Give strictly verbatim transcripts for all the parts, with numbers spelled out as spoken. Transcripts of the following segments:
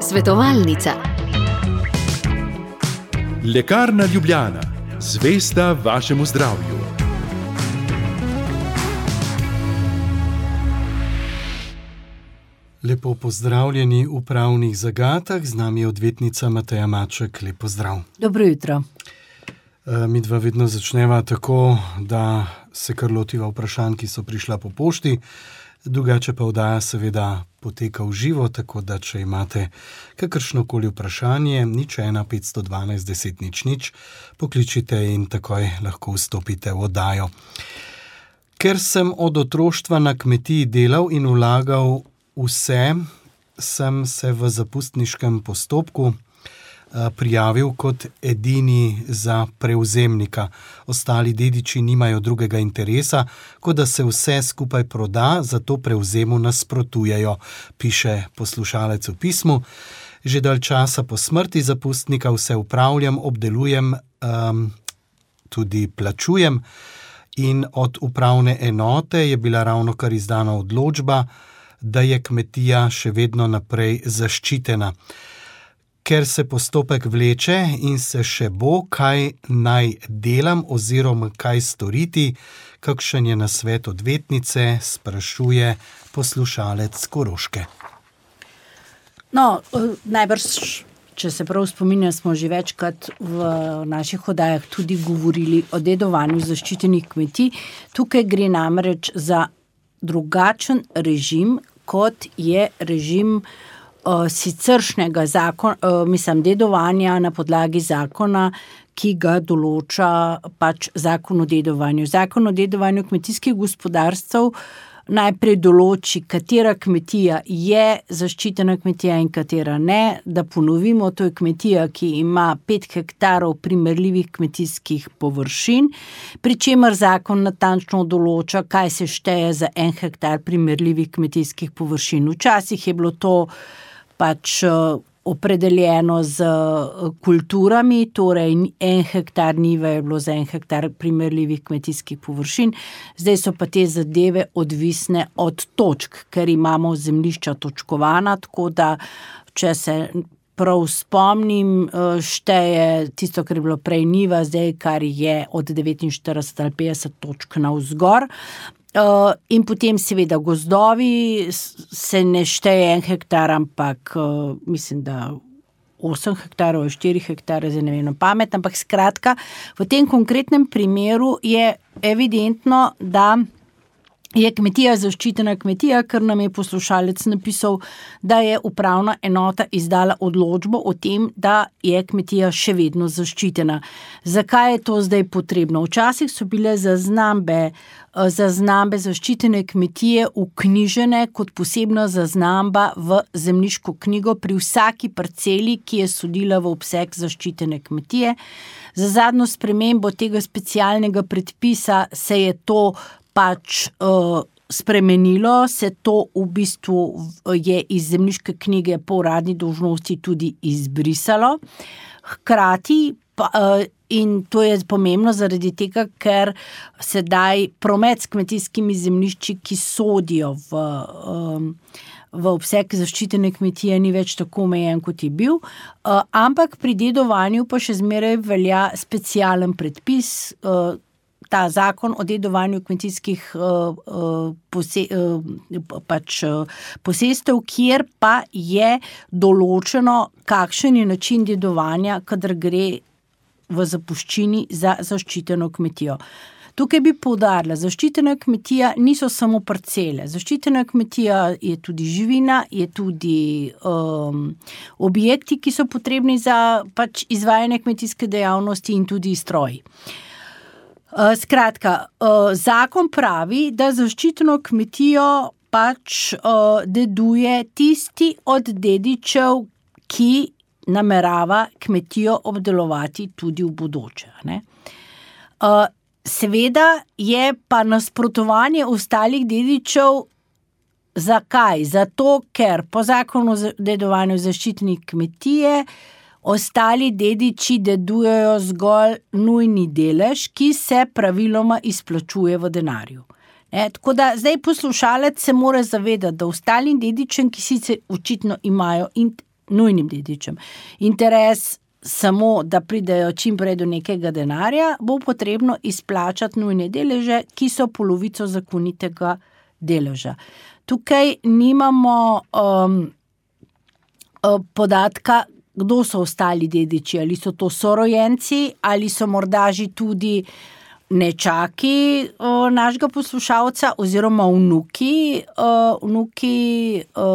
Svetovalnica. Lekarna Ljubljana, zvesta vašemu zdravju. Lepo pozdravljeni v Pravnih zagatah, z nami je odvetnica Mateja Maček. Lep pozdrav. Dobro jutro. Mi dva vedno začneva tako, da se kar lotiva vprašanj, ki so prišla po pošti, drugače pa oddaja seveda poteka v živo, tako da če imate kakršnokoli vprašanje, nič ena petsto dvanajst deset nič nič, pokličite in takoj lahko vstopite v oddajo. Ker sem od otroštva na kmetiji delal in vlagal vse, sem se v zapustniškem postopku prijavil kot edini za prevzemnika. Ostali dediči nimajo drugega interesa, kot da se vse skupaj proda, zato prevzemu nasprotujejo, piše poslušalec v pismu. Že dalj časa po smrti zapustnika vse upravljam, obdelujem, um, tudi plačujem in od upravne enote je bila ravnokar izdana odločba, da je kmetija še vedno naprej zaščitena. Ker se postopek vleče in se še bo, kaj naj delam oziroma kaj storiti, kakšen je nasvet odvetnice, sprašuje poslušalec Koroške. No, najbrž, če se prav spominjam, smo že večkrat v naših oddajah tudi govorili o dedovanju zaščitenih kmetij. Tukaj gre namreč za drugačen režim, kot je režim Uh, siceršnjega zakona, uh, mislim, dedovanja na podlagi zakona, ki ga določa pač zakon o dedovanju. Zakon o dedovanju kmetijskih gospodarstv najprej določi, katera kmetija je zaščitena kmetija in katera ne. Da ponovimo, to je kmetija, ki ima pet hektarov primerljivih kmetijskih površin, pri čemer zakon natančno določa, kaj se šteje za en hektar primerljivih kmetijskih površin. Včasih je bilo to pač opredeljeno z kulturami, torej en hektar njive je bilo za en hektar primerljivih kmetijskih površin, zdaj so pa te zadeve odvisne od točk, ker imamo zemljišča točkovana, tako da, če se prav spomnim, šteje tisto, kar je bilo prej njiva, zdaj kar je od devetinštirideset ali petdeset točk navzgor. Uh, in potem seveda gozdovi se ne šteje en hektar, ampak uh, mislim, da osem hektarov, štiri hektare, zdaj ne vem na pamet, ampak skratka, v tem konkretnem primeru je evidentno, da je kmetija zaščitena kmetija, ker nam je poslušalec napisal, da je upravna enota izdala odločbo o tem, da je kmetija še vedno zaščitena. Zakaj je to zdaj potrebno? Včasih so bile zaznambe, zaznambe zaščitene kmetije vknjižene kot posebna zaznamba v zemljiško knjigo pri vsaki parceli, ki je sodila v obseg zaščitene kmetije. Za zadnjo spremembo tega specialnega predpisa se je to pač uh, spremenilo, se to v bistvu je iz zemljiške knjige po uradni dolžnosti tudi izbrisalo. Hkrati pa, uh, in to je pomembno zaradi tega, ker sedaj promet s kmetijskimi zemljišči, ki sodijo v, um, v obseg zaščitene kmetije, ni več tako omejen, kot je bil, uh, ampak pri dedovanju pa še zmeraj velja specialen predpis, uh, ta zakon o dedovanju kmetijskih uh, uh, pose, uh, pač, uh, posestev, kjer pa je določeno, kakšen je način dedovanja, kadar gre v zapuščini za zaščiteno kmetijo. Tukaj bi poudarila, zaščitena kmetija niso samo parcele. Zaščitena kmetija je tudi živina, je tudi um, objekti, ki so potrebni za pač izvajanje kmetijske dejavnosti in tudi stroji. Uh, skratka, uh, zakon pravi, da zaščiteno kmetijo pač uh, deduje tisti od dedičev, ki namerava kmetijo obdelovati tudi v bodoče. Ne? Uh, seveda je pa nasprotovanje ostalih dedičev. Zakaj? Zato, ker po zakonu o dedovanju zaščitenih kmetije ostali dediči dedujejo zgolj nujni delež, ki se praviloma izplačuje v denarju. E, tako da zdaj poslušalec se mora zavedati, da ostalim dedičem, ki sicer očitno imajo in nujnim dedičem interes samo, da pridejo čim prej do nekega denarja, bo potrebno izplačati nujne deleže, ki so polovico zakonitega deleža. Tukaj nimamo um, podatka, kdo so ostali dediči, ali so to sorojenci, ali so morda že tudi nečaki o, našega poslušalca oziroma vnuki, o, vnuki o,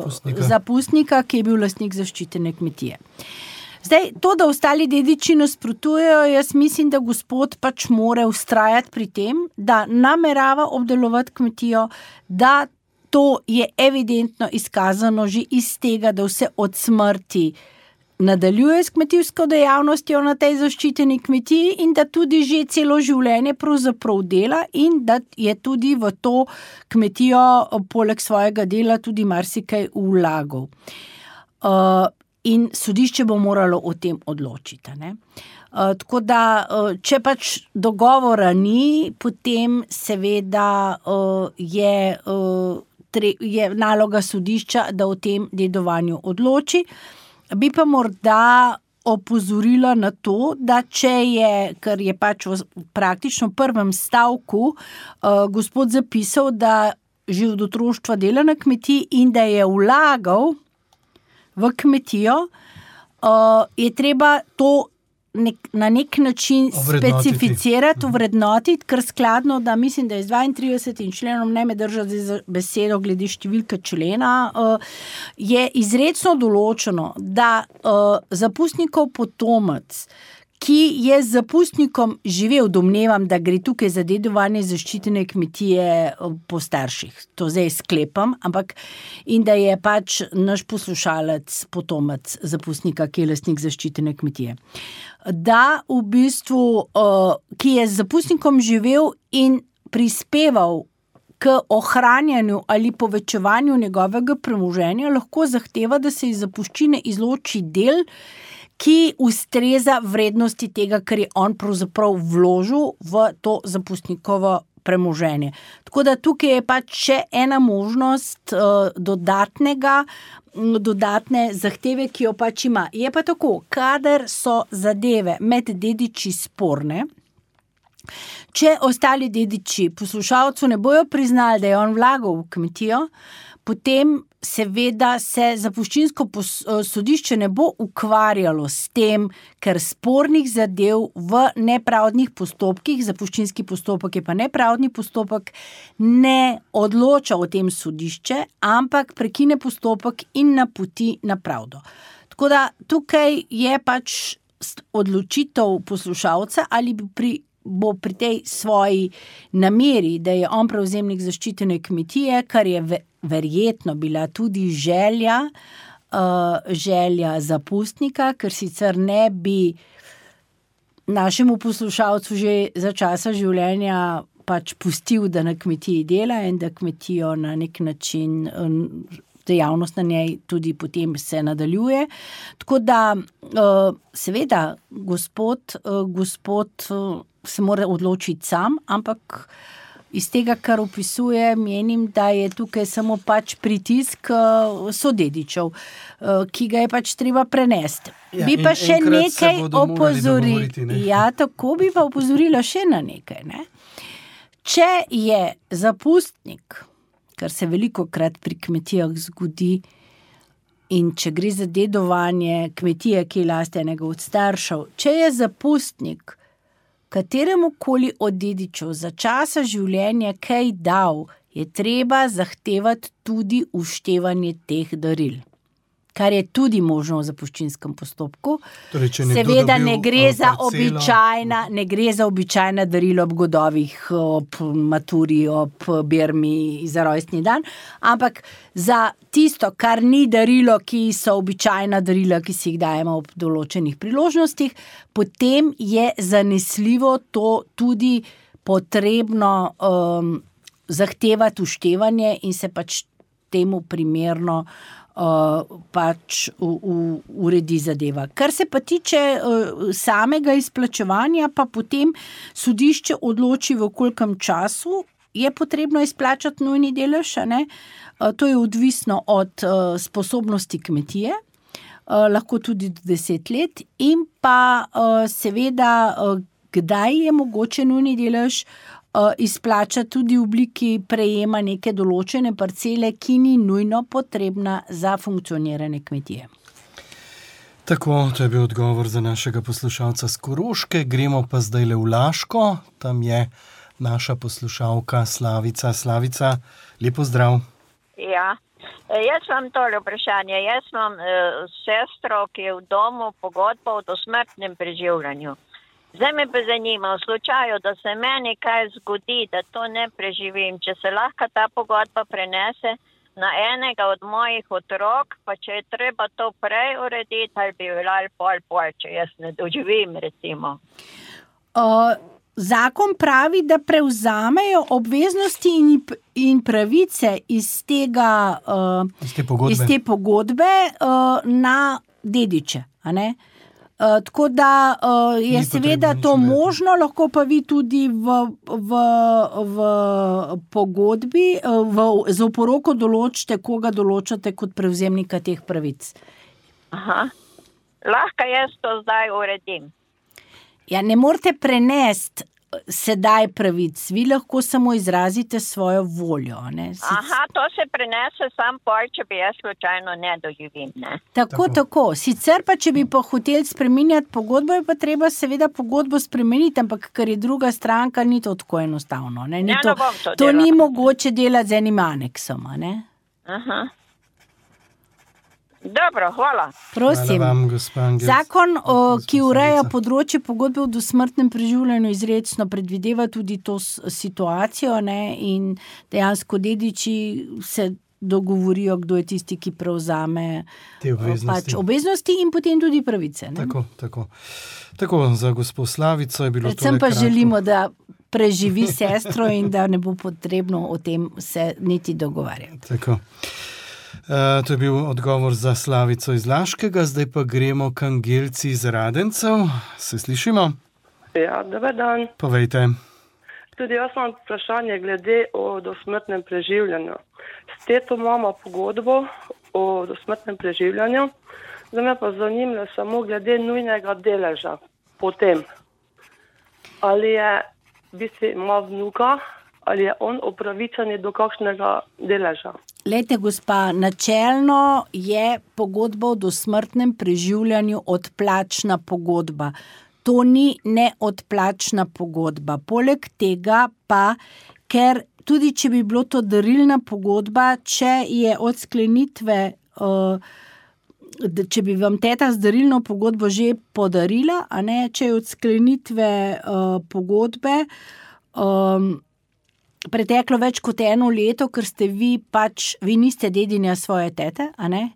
zapustnika. zapustnika, ki je bil lastnik zaščitene kmetije. Zdaj, to, da ostali dediči nasprotujejo, jaz mislim, da gospod pač mora vztrajati pri tem, da namerava obdelovati kmetijo, da to je evidentno izkazano že iz tega, da vse od smrti nadaljuje s kmetijsko dejavnostjo na tej zaščiteni kmetiji in da tudi že celo življenje pravzaprav dela in da je tudi v to kmetijo poleg svojega dela tudi marsikaj vlagal. Uh, in sodišče bo moralo o tem odločiti, ne? Uh, tako da, uh, če pač dogovora ni, potem seveda uh, je, uh, tre, je naloga sodišča, da o tem dedovanju odloči. Bi pa morda opozorila na to, da če je, ker je pač v praktično prvem stavku uh, gospod zapisal, da že od otroštva dela na kmetiji in da je vlagal v kmetijo, uh, je treba to nek, na nek način specificirati, vrednotiti, ker skladno, da mislim, da je z dvaintridesetim členom, ne me držati za besedo glede številke člena, uh, je izrecno določeno, da uh, zapustnikov potomec, ki je z zapustnikom živel, domnevam, da gre tukaj za dedovanje zaščitene kmetije po starših. To zdaj sklepam, ampak in da je pač naš poslušalec potomec zapustnika, ki je lastnik zaščitene kmetije. Da v bistvu, ki je z zapustnikom živel in prispeval k ohranjanju ali povečevanju njegovega premoženja, lahko zahteva, da se iz zapuščine izloči del, ki ustreza vrednosti tega, kar je on pravzaprav vložil v to zapustnikovo premoženje. Tako da tukaj je pač še ena možnost uh, dodatnega, dodatne zahteve, ki jo pač ima. Je pa tako, kadar so zadeve med dediči sporne, če ostali dediči poslušalcu ne bojo priznali, da je on vlagal v kmetijo, potem seveda se zapuščinsko sodišče ne bo ukvarjalo s tem, ker spornih zadev v nepravdnih postopkih, zapuščinski postopek je pa nepravdni postopek, ne odloča o tem sodišče, ampak prekine postopek in napoti na pravdo. Tako da tukaj je pač odločitev poslušalca, ali bi pri bo pri tej svoji nameri, da je on prevzemnik zaščitene kmetije, kar je verjetno bila tudi želja, uh, želja zapustnika, ker sicer ne bi našemu poslušalcu že za časa življenja pač pustil, da na kmetiji dela in da kmetijo na nek način um, dejavnost na njej tudi potem se nadaljuje. Tako da uh, seveda gospod, uh, gospod uh, se mora odločiti sam, ampak iz tega, kar opisuje, menim, da je tukaj samo pač pritisk uh, sodedičev, uh, ki ga je pač treba prenesti. Ja, bi pa še nekaj opozoriti. Ne? Ja, tako bi pa opozorila še na nekaj. Ne? Če je zapustnik, kar se veliko krat pri kmetijah zgodi, in če gre za dedovanje kmetije, ki je last enega od staršev, če je zapustnik kateremu koli od dedičev za časa življenja kaj dal, je treba zahtevati tudi uštevanje teh daril, kar je tudi možno v zapuščinskem postopku. Torej, seveda ne gre za običajna, ne gre za običajna darila ob godovih, ob maturi, ob bermi za rojstni dan, ampak za tisto, kar ni darilo, ki so običajna darila, ki si jih dajemo ob določenih priložnostih, potem je zanesljivo to tudi potrebno um, zahtevati uštevanje in se pač temu primerno Uh, pač u, u, uredi zadeva. Kar se pa tiče uh, samega izplačevanja, pa potem sodišče odloči v kolikem času je potrebno izplačati nujni delež, ne? To je odvisno od uh, sposobnosti kmetije, uh, lahko tudi do deset let in pa uh, seveda, uh, kdaj je mogoče nujni delež uh, izplačati tudi v obliki prejema neke določene parcele, ki ni nujno potrebna za funkcioniranje kmetije. Tako, to je bil odgovor za našega poslušalca z Koroške. Gremo pa zdaj le v Laško. Tam je naša poslušalka Slavica. Slavica, lepo zdrav. Ja, jaz imam tole vprašanje. Jaz imam uh, sestro, ki je v domu pogodbo o dosmrtnem preživljanju. Zdaj me pa zanima, v slučaju, da se meni kaj zgodi, da to ne preživim, če se lahko ta pogodba prenese na enega od mojih otrok, pa če je treba to prej urediti, ali bi veljal pol pol, če jaz ne doživim, recimo. Uh, zakon pravi, da prevzamejo obveznosti in, in pravice iz tega uh, iz te pogodbe, iz te pogodbe uh, na dediče, a ne? Uh, tako da uh, je seveda to možno, lahko pa vi tudi v, v, v pogodbi, v, z oporoko določite, koga določate kot prevzemnika teh pravic. Aha, lahko jaz to zdaj uredim. Ja, ne morete prenesti sedaj pravic, vi lahko samo izrazite svojo voljo. Ne? Sic... Aha, to se prenese sam pol, če bi jaz slučajno ne doživim, ne? Tako, tako, tako. Sicer pa, če bi pa hotel spreminjati pogodbo, je pa treba seveda pogodbo spremeniti, ampak ker je druga stranka, ni to tako enostavno. Ne? Ni ja, to, ne bom to to delala. Ni mogoče delati z enim aneksom, ne? Aha. Dobro, hvala. Prosim. Hvala vam, Zakon, o, ki ureja področje pogodbe o dosmrtnem preživljanju, izrecno predvideva tudi to situacijo, ne, in dejansko dediči se dogovorijo, kdo je tisti, ki prevzame te obveznosti. Pač obveznosti in potem tudi pravice. Ne? Tako, tako. Tako, za gospod Slavico je bilo Predvsem to pa nekratko. želimo, da preživi sestro in da ne bo potrebno o tem se niti dogovarjati. Tako. Uh, to je bil odgovor za Slavico iz Laškega, zdaj pa gremo k Angelci iz Radencev. Se slišimo? Ja, dober dan. Povejte. Tudi jaz imam vprašanje glede o dosmrtnem preživljanju. S teto imamo pogodbo o dosmrtnem preživljanju, zdaj me pa zanima samo glede nujnega deleža potem. Ali je, v bistvu ima vnuka, ali je on upravičen do kakšnega deleža? Lejte, gospa, načelno je pogodba o dosmrtnem preživljanju odplačna pogodba. To ni neodplačna pogodba. Poleg tega pa, ker tudi če bi bilo to darilna pogodba, če je od sklenitve, če bi vam teta z darilno pogodbo že podarila, a ne, če je od sklenitve pogodbe preteklo več kot eno leto, ker ste vi pač, vi niste dedinja svoje tete, a ne?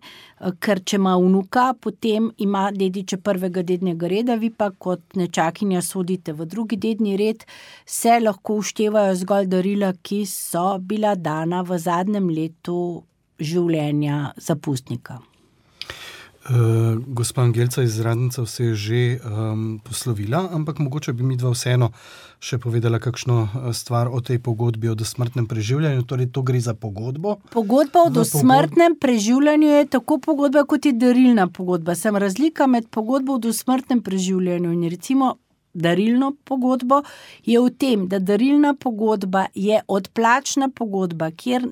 Ker če ima vnuka, potem ima dediče prvega dednega reda, vi pa kot nečakinja sodite v drugi dedni red, se lahko uštevajo zgolj darila, ki so bila dana v zadnjem letu življenja zapustnika. Uh, gospa Angelca iz Radencev se je že um, poslovila, ampak mogoče bi mi dva vseeno še povedala kakšno stvar o tej pogodbi o dosmrtnem preživljanju. Torej, to gre za pogodbo? Pogodba o dosmrtnem preživljanju je tako pogodba, kot je darilna pogodba. Sem razlika med pogodbo o dosmrtnem preživljanju in recimo darilno pogodbo je v tem, da darilna pogodba je odplačna pogodba, kjer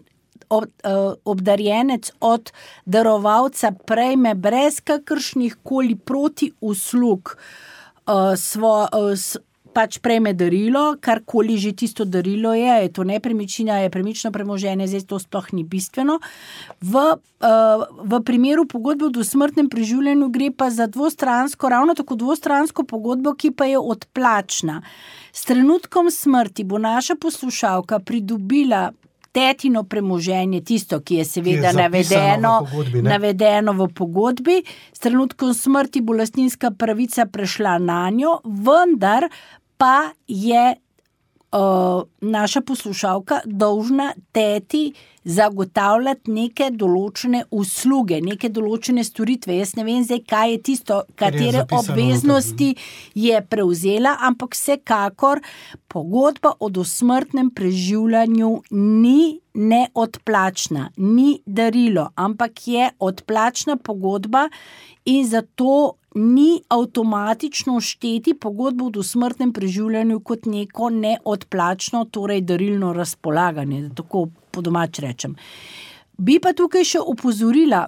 Ob, uh, obdarjenec od darovalca prejme brez kakršnih koli proti uslug uh, svo, uh, s, pač prejme darilo, karkoli že tisto darilo je, je to nepremičnina, je premično premoženje, zdaj to sploh ni bistveno. V, uh, v primeru pogodbe o dosmrtnem preživljanju gre pa za dvostransko, ravno tako dvostransko pogodbo, ki pa je odplačna. S trenutkom smrti bo naša poslušalka pridobila tetino premoženje, tisto, ki je seveda ki je navedeno, v pogodbi, navedeno v pogodbi. S trenutkom smrti bo lastninska pravica prešla na njo, vendar pa je uh, naša poslušalka dolžna teti zagotavljati neke določene usluge, neke določene storitve. Jaz ne vem zdaj, kaj je tisto, katere je obveznosti je prevzela, ampak vsekakor pogodba o dosmrtnem preživljanju ni neodplačna, ni darilo, ampak je odplačna pogodba in zato ni avtomatično šteti pogodbo o dosmrtnem preživljanju kot neko neodplačno, torej darilno razpolaganje, da tako po domač rečem. Bi pa tukaj še opozorila,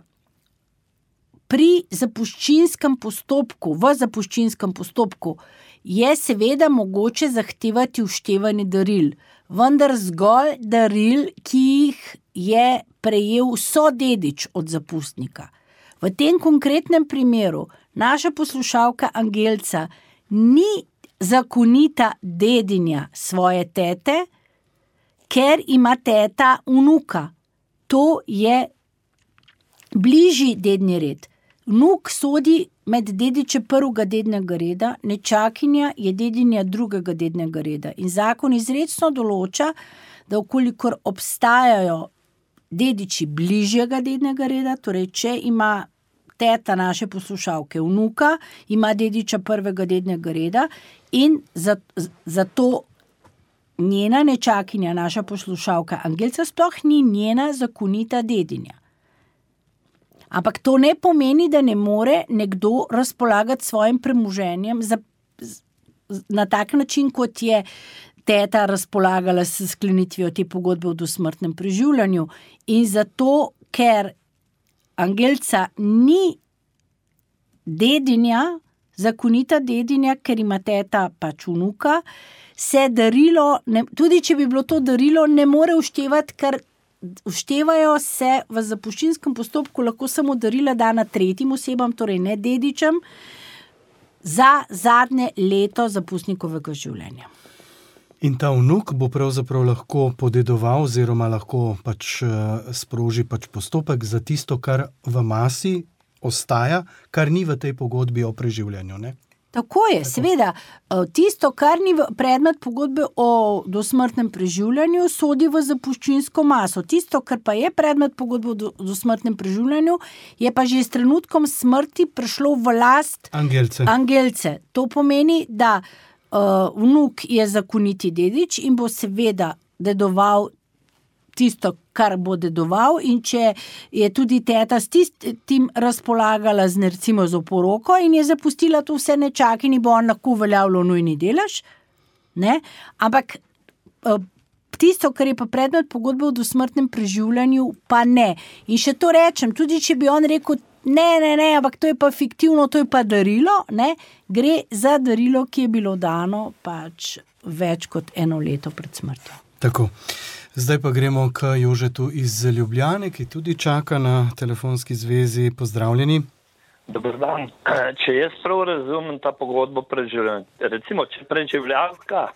pri zapuščinskem postopku, v zapuščinskem postopku je seveda mogoče zahtevati vštevanje daril, vendar zgolj daril, ki jih je prejel sodedič od zapustnika. V tem konkretnem primeru naša poslušalka Angelca ni zakonita dedinja svoje tete, ker ima teta vnuka. To je bližji dedni red. Vnuk sodi med dediče prvega dednega reda, nečakinja je dedinja drugega dednega reda. In zakon izrecno določa, da okolikor obstajajo dediči bližjega dednega reda, torej če ima teta naše poslušalke vnuka, ima dediča prvega dednega reda in zato za njena nečakinja, naša poslušalka Angelca, sploh ni njena zakonita dedinja. Ampak to ne pomeni, da ne more nekdo razpolagati svojim premoženjem za, na tak način, kot je teta razpolagala s sklenitvijo te pogodbe o dosmrtnem preživljanju. In zato, ker Angelca ni dedinja, zakonita dedinja, ker ima teta pač vnuka, se darilo, ne, tudi če bi bilo to darilo, ne more vštevati, ker vštevajo se v zapuščinskem postopku lahko samo darila dana tretjim osebam, torej ne dedičem, za zadnje leto zapustnikovega življenja. In ta vnuk bo pravzaprav lahko podedoval oziroma lahko pač sproži pač postopek za tisto, kar v masi ostaja, kar ni v tej pogodbi o preživljanju, ne? Tako je, seveda. Tisto, kar ni predmet pogodbe o dosmrtnem preživljanju, sodi v zapuščinsko maso. Tisto, kar pa je predmet pogodbe o dosmrtnem preživljanju, je pa že s trenutkom smrti prišlo v last Angelce. Angelce. To pomeni, da uh, vnuk je zakoniti dedič in bo seveda dedoval tisto, kar bo dedoval, in če je tudi teta s tistim razpolagala z, recimo, z oporoko in je zapustila to vse nečakini, bo on lahko uveljavljal nujni delež, ne? Ampak tisto, kar je pa predmet pogodbe o dosmrtnem preživljanju, pa ne. In še to rečem, tudi če bi on rekel, ne, ne, ne, ampak to je pa fiktivno, to je pa darilo, ne? Gre za darilo, ki je bilo dano pač več kot eno leto pred smrtjo. Tako. Zdaj pa gremo k Jožetu iz Ljubljane, ki tudi čaka na telefonski zvezi. Pozdravljeni. Dober dan. Če jaz prav razumem ta pogodbo preživljanja, recimo, če preživljanka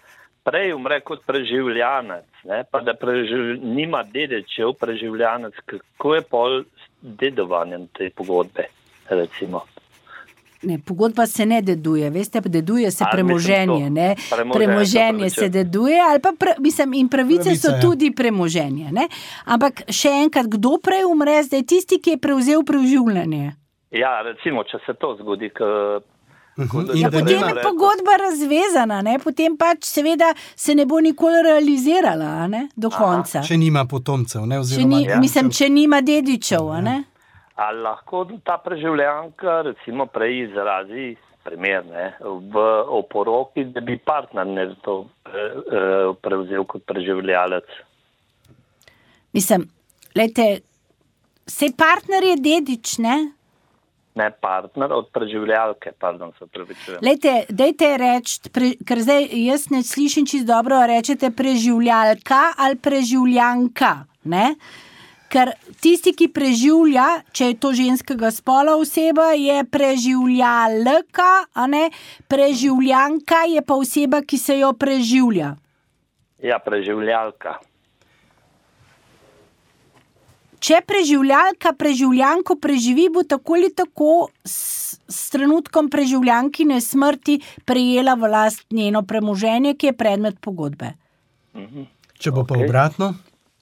prej umre kot preživljanec, ne, pa da preživ, nima dedičev preživljanec, kako je pol dedovanjem te pogodbe, recimo? Ne, pogodba se ne deduje, veste, deduje se premoženje, ne, premoženje, premoženje se deduje, ali pa, pra, mislim, in pravice Pravica, so tudi premoženje, ne, ampak še enkrat, kdo prej umre, zdaj tisti, ki je prevzel preživljanje? Ja, recimo, če se to zgodi, k, uh-huh. ja, potem je pogodba razvezana, ne, potem pač seveda se ne bo nikoli realizirala, ne, do Aha. konca. Če nima potomcev, ne, oziroma... Če ni, ja. Mislim, če nima dedičev, ja. ne. Ali lahko ta preživljanka recimo prej izrazi primer, ne, v oporoki, da bi partner to prevzel kot preživljalec? Mislim, lejte, sej partner je dedič, ne? Ne, partner od preživljalke, pardon, se pravičujem. Lejte, dejte reči, pre, ker zdaj jaz ne slišim čisto dobro, rečete preživljalka ali preživljanka, ne? Ker tisti, ki preživlja, če je to ženskega spola oseba, je preživljalka, a ne, preživljanka je pa oseba, ki se jo preživlja. Ja, preživljalka. Če preživljalka preživljanko preživi, bo tako ali tako s, s trenutkom preživljankine smrti prejela v last njeno premoženje, ki je predmet pogodbe. Če bo pa Ok. obratno,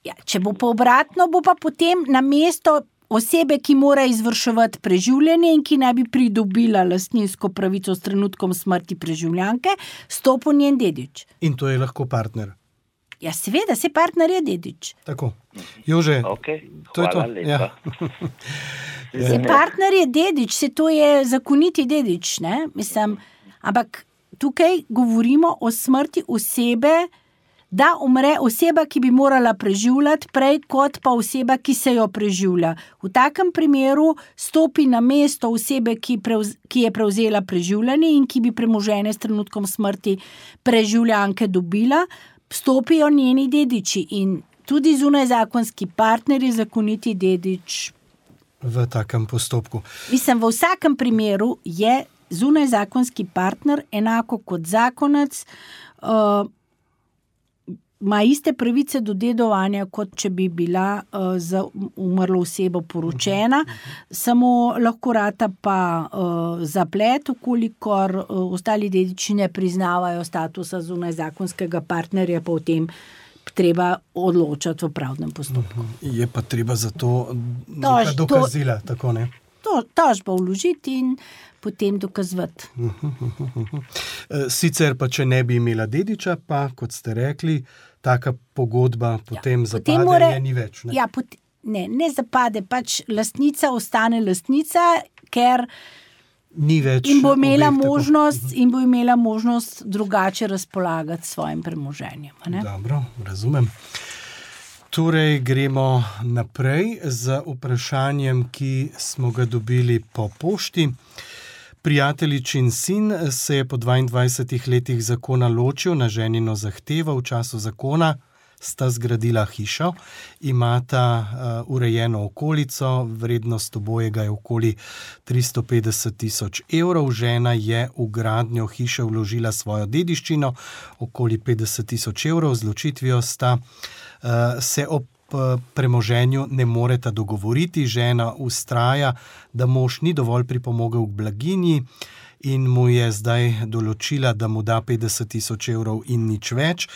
Ja, če bo pa obratno, bo pa potem na mesto osebe, ki mora izvrševati preživljanje in ki naj bi pridobila lastninsko pravico s trenutkom smrti preživljanke, stopil njen dedič. in to je lahko partner. Ja, seveda, se partner je dedič. Tako. Jože, Ok, to je to. hvala lepa. Ja. Se partner je dedič, se to je zakoniti dedič, ne? Mislim, ampak tukaj govorimo o smrti osebe, da umre oseba, ki bi morala preživljati, prej kot pa oseba, ki se jo preživlja. V takem primeru stopi na mesto osebe, ki, prevz, ki je prevzela preživljanje in ki bi premoženje s trenutkom smrti preživljanke dobila, stopijo njeni dediči in tudi zunajzakonski partner je zakoniti dedič. V takem postopku. Mislim, v vsakem primeru je zunajzakonski partner enako kot zakonec, uh, ima iste pravice do dedovanja, kot če bi bila uh, za umrlo osebo poročena, samo lahko rata pa uh, zaplet, ukolikor uh, ostali dediči ne priznavajo statusa zunajzakonskega partnerja, pa v tem treba odločati v pravnem postopku. Je pa treba za to Tož- neka to- dokazila, tako ne? To, tožbo vložiti in potem dokazovati. E, Sicer pa, če ne bi imela dediča, pa, kot ste rekli, taka pogodba potem Ja, zapade, potem more- je ni več. Ne? Ja, pot, ne, ne zapade, pač lastnica ostane lastnica, ker Ni več in bo imela obeh tako- možnost, in bo imela možnost drugače razpolagati s svojim premoženjem. a ne? Dobro, razumem. Torej, gremo naprej z vprašanjem, ki smo ga dobili po pošti. Prijateljičin sin se je po dvaindvajsetih letih zakona ločil na ženino zahtevo. V času zakona sta zgradila hišo, imata uh, urejeno okolico, vrednost obojega je okoli tristo petdeset tisoč evrov. Žena je v gradnjo hiše vložila svojo dediščino, okoli petdeset tisoč evrov. Z ločitvijo sta uh, se ob uh, premoženju ne moreta dogovoriti. Žena vztraja, da mož ni dovolj pripomogel k blaginji in mu je zdaj določila, da mu da petdeset tisoč evrov in nič več.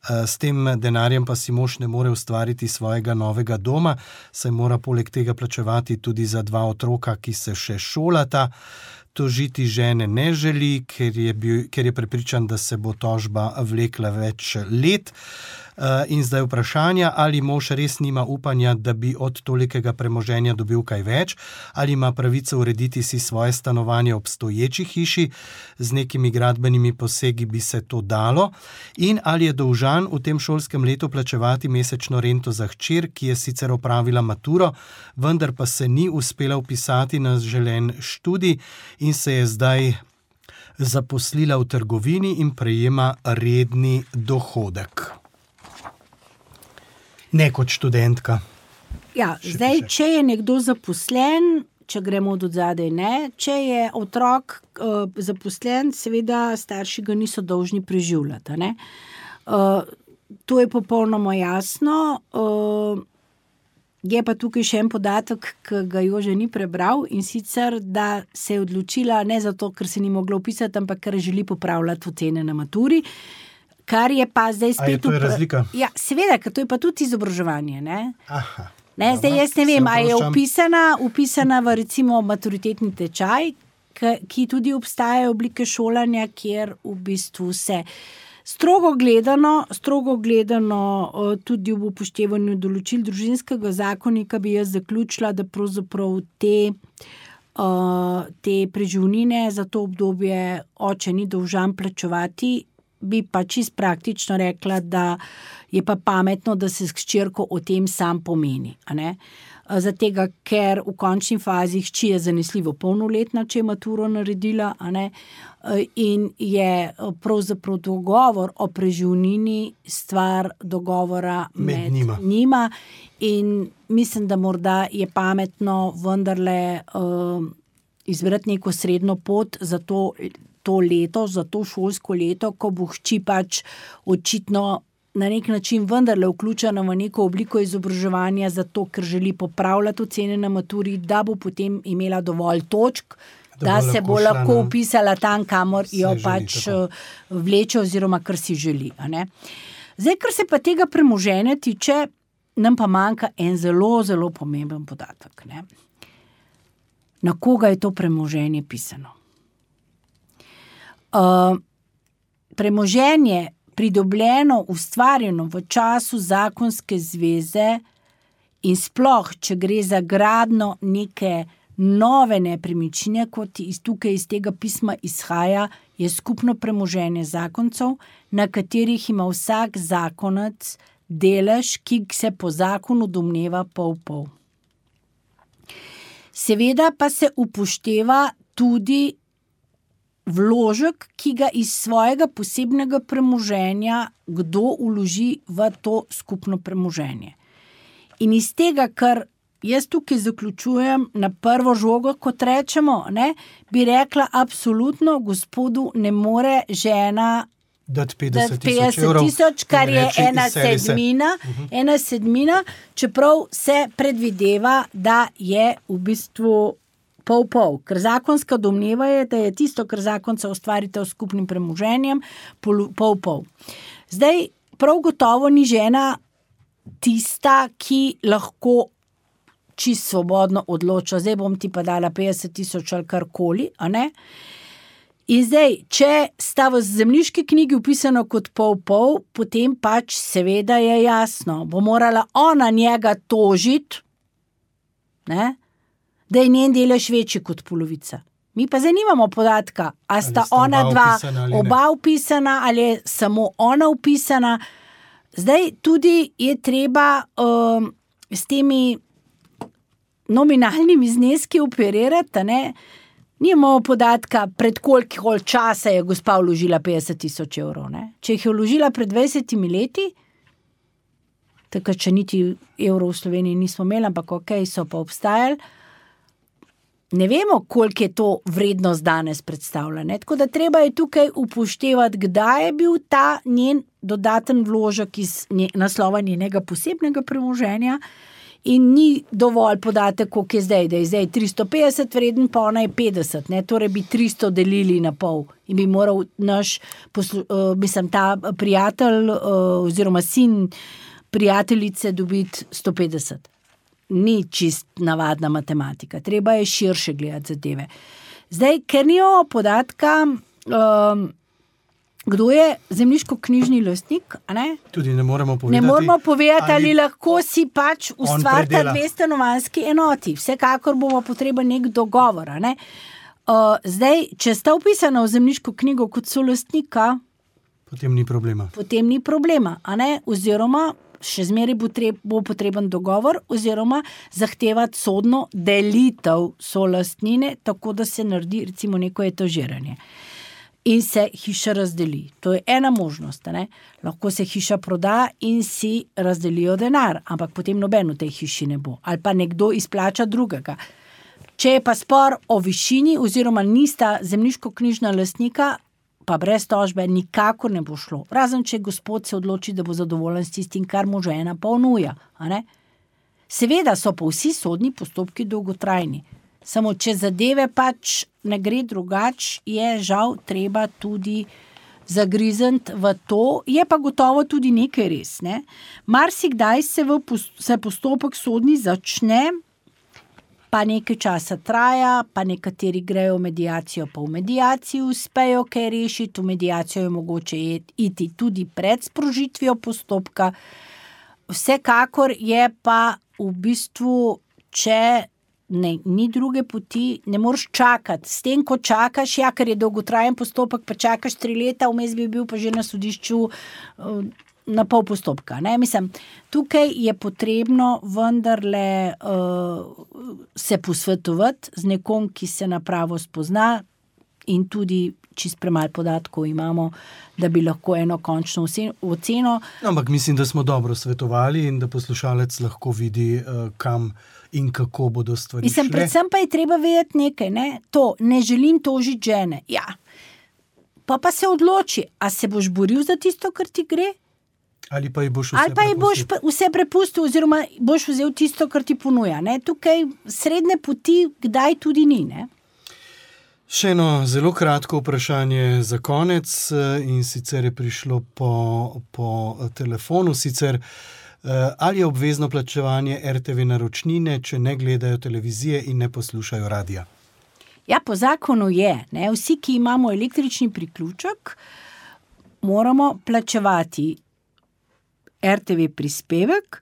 S tem denarjem pa si mož ne more ustvariti svojega novega doma, saj mora poleg tega plačevati tudi za dva otroka, ki se še šolata. Tožiti žene ne želi, ker je, bil, ker je prepričan, da se bo tožba vlekla več let. In zdaj vprašanje, ali mož res nima upanja, da bi od tolikega premoženja dobil kaj več, ali ima pravico urediti si svoje stanovanje v obstoječi hiši, z nekimi gradbenimi posegi bi se to dalo, in ali je dolžan v tem šolskem letu plačevati mesečno rento za hčer, ki je sicer opravila maturo, vendar pa se ni uspela vpisati na želen študij in se je zdaj zaposlila v trgovini in prejema redni dohodek. Ne kot študentka. Ja, Še zdaj, piše. če je nekdo zaposlen, če gremo od zadaj, ne, če je otrok uh, zaposlen, seveda starši ga niso dolžni preživljati. a Ne? Uh, to je popolnoma jasno. Uh, je pa tukaj še en podatek, ki ga Jože ni prebral, in sicer, da se je odločila ne zato, ker se ni mogla vpisati, ampak ker želi popravljati ocene na maturi. Kar je pa zdaj A je spet... to je upra- razlika? Ja, seveda, ker to je pa tudi izobraževanje. Ne? Aha. Ne, Dobro, zdaj jaz ne se vem, ali je oproščam. upisana, upisana v recimo maturitetni tečaj, ki, ki tudi obstajajo oblike šolanja, kjer v bistvu se strogo gledano, strogo gledano eh, tudi v upoštevanju določil družinskega zakonika bi jaz zaključila, da pravzaprav te, eh, te preživnine za to obdobje oče ni dolžan plačevati. Bi pa čist praktično rekla, da je pa pametno, da se s hčerko o tem sam pomeni. a ne. Zato, ker v končni fazi hči je zanesljivo polnoletna, če je maturo naredila, a ne, in je pravzaprav dogovor o preživnini stvar dogovora Med med, njima. njima. In mislim, da morda je pametno vendarle uh, izbrati neko srednjo pot za to, to leto, za to šolsko leto, ko bo hči pač očitno na nek način vendarle vključena v neko obliko izobraževanja, zato ker želi popravljati ocene na maturi, da bo potem imela dovolj točk, Da da, bo da se lahko bo šla lahko na- vpisala tam, kamor Se jo želi, pač tako. vleče oziroma kar si želi. A ne? Zdaj, kar se pa tega premoženja tiče, nam pa manjka en zelo, zelo pomemben podatek. Ne? Na koga je to premoženje pisano? Uh, premoženje pridobljeno, ustvarjeno v času zakonske zveze in sploh, če gre za gradnjo neke nove nepremičnine, kot iz tukaj iz tega pisma izhaja, je skupno premoženje zakoncev, na katerih ima vsak zakonec delež, ki se po zakonu domneva pol-pol. Seveda pa se upošteva tudi vložek, ki ga iz svojega posebnega premoženja kdo vloži v to skupno premoženje. In iz tega, kar jaz tukaj zaključujem na prvo žogo, kot rečemo, ne, bi rekla, absolutno gospodu ne more žena dati petdeset tisoč, kar je ena sedmina, uh-huh. ena sedmina, čeprav se predvideva, da je v bistvu pol-pol. Ker zakonska domneva je, da je tisto, kar zakonca ustvarite s skupnim premoženjem, pol-pol. Zdaj, prav gotovo ni žena tista, ki lahko čisto svobodno odloča. Zdaj bom ti pa dala petdeset tisoč ali karkoli, a ne? In zdaj, če sta v zemljiški knjigi upisano kot pol-pol, potem pač seveda je jasno, bo morala ona njega tožiti, ne, da je njen delež večji kot polovica. Mi pa zdaj nimamo podatka, a sta, sta ona dva oba upisana ali je samo ona upisana. Zdaj tudi je treba um, s temi nominalnimi zneski operirati, ne. Nimamo podatka, pred koliko časa je gospa vložila petdeset tisoč evrov. Ne? Če jih je vložila pred dvajsetimi leti, takrat, če niti evrov v Sloveniji nismo imeli, ampak ok, so pa obstajali, ne vemo, koliko je to vrednost danes predstavlja. Ne? Tako da treba je tukaj upoštevati, kdaj je bil ta njen dodaten vložek iz naslova njenega posebnega premoženja. In ni dovolj podatek, koliko je zdaj, da je zdaj tristo petdeset vreden, pa ona je petdeset, ne? Torej bi tristo delili na pol in bi moral naš, poslu, uh, mislim, ta prijatelj uh, oziroma sin prijateljice dobiti sto petdeset. Ni čist navadna matematika, treba je širše gledati zadeve. Zdaj, ker nimamo podatka, um, kdo je zemljiško-knjižni lastnik, a ne? Tudi ne moremo povedati. Ne moramo povedati, ali, ali lahko si pač ustvarita dve stanovanjski enoti. Vsekakor bomo potreben nek dogovor, a ne? Uh, zdaj, če sta upisana v zemljiško knjigo kot solastnika, potem ni problema. Potem ni problema, a ne? Oziroma, še zmeraj bo, treb, bo potreben dogovor, oziroma zahtevati sodno delitev solastnine, tako da se naredi recimo neko etažiranje. In se hiša razdeli. To je ena možnost. Ne? Lahko se hiša proda in si razdelijo denar, ampak potem noben v tej hiši ne bo. Ali pa nekdo izplača drugega. Če je pa spor o višini oziroma nista zemljiško-knjižna lastnika, pa brez tožbe nikakor ne bo šlo. Razen, če gospod se odloči, da bo zadovoljen s tistim, kar mu žena ponuja. A ne? Seveda so pa vsi sodni postopki dolgotrajni. Samo če zadeve pač ne gre drugač, je žal treba tudi zagrizniti v to, je pa gotovo tudi nekaj res. Ne? Marsikdaj se, v, se postopek sodni začne, pa nekaj časa traja, pa nekateri grejo v mediacijo, pa v medijaciji uspejo kaj rešiti, v medijacijo je mogoče iti tudi pred sprožitvijo postopka. Vsekakor je pa v bistvu, če Ne, ni druge poti, ne moreš čakati. S tem, ko čakaš, ja, ker je dolgotrajen postopek, pa čakaš tri leta, vmes bi bil pa že na sodišču uh, na pol postopka. Ne? Mislim, tukaj je potrebno vendarle uh, se posvetovati z nekom, ki se na pravo spozna in tudi čist premalo podatkov imamo, da bi lahko eno končno oceno. Ampak mislim, da smo dobro svetovali in da poslušalec lahko vidi, uh, kam in kako bodo stvari Mislim, šle. Predvsem pa je treba vedeti nekaj, ne? To, ne želim tožiti žene. Ja. Pa pa se odloči, a se boš boril za tisto, kar ti gre? Ali pa ji boš vse Ali pa ji boš vse prepustil, oziroma boš vzel tisto, kar ti ponuja. Ne? Tukaj srednje poti kdaj tudi ni, ne? Še eno zelo kratko vprašanje za konec in sicer je prišlo po, po telefonu. Sicer, ali je obvezno plačevanje er te ve naročnine, če ne gledajo televizije in ne poslušajo radia? Ja, po zakonu je. Ne? Vsi, ki imamo električni priključek, moramo plačevati er te ve prispevek.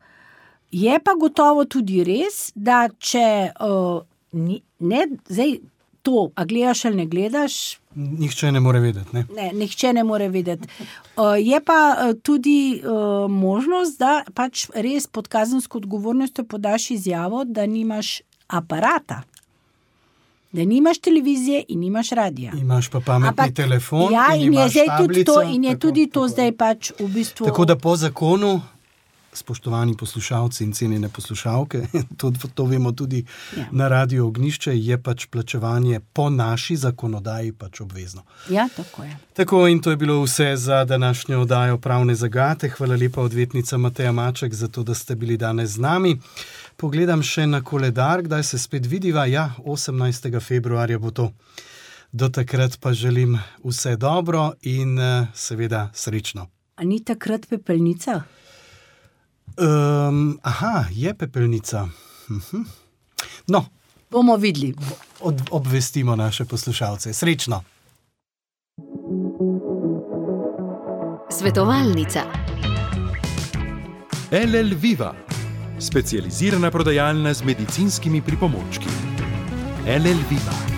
Je pa gotovo tudi res, da če uh, ni, ne, zdaj to, a gledaš ali ne gledaš, Nihče ne more vedeti, ne? Ne, nihče ne more vedeti. Uh, je pa uh, tudi uh, možnost, da pač res pod kazensko odgovornostjo podaš izjavo, da nimaš aparata. Da nimaš televizije in nimaš radija. Imaš pa pametni Ampak, telefon ja, in, in imaš je zdaj tudi tablico. to, in je tako, tudi to tako. zdaj pač v bistvu... Tako da po zakonu, spoštovani poslušalci in cenjene poslušalke, to, to vemo tudi ja. na Radiu Ognjišče, je pač plačevanje po naši zakonodaji pač obvezno. Ja, tako je. Tako, in to je bilo vse za današnjo oddajo Pravne zagate. Hvala lepa odvetnica Mateja Maček za to, da ste bili danes z nami. Pogledam še na koledar, kdaj se spet vidiva. Ja, osemnajstega februarja bo to. Do takrat pa želim vse dobro in seveda srečno. A ni takrat pepelnica? Um, aha, je pepelnica. Uh-huh. No, bomo videli. Od, obvestimo naše poslušalce. Srečno. Svetovalnica. el el Viva, specializirana prodajalna z medicinskimi pripomočki. el el Viva.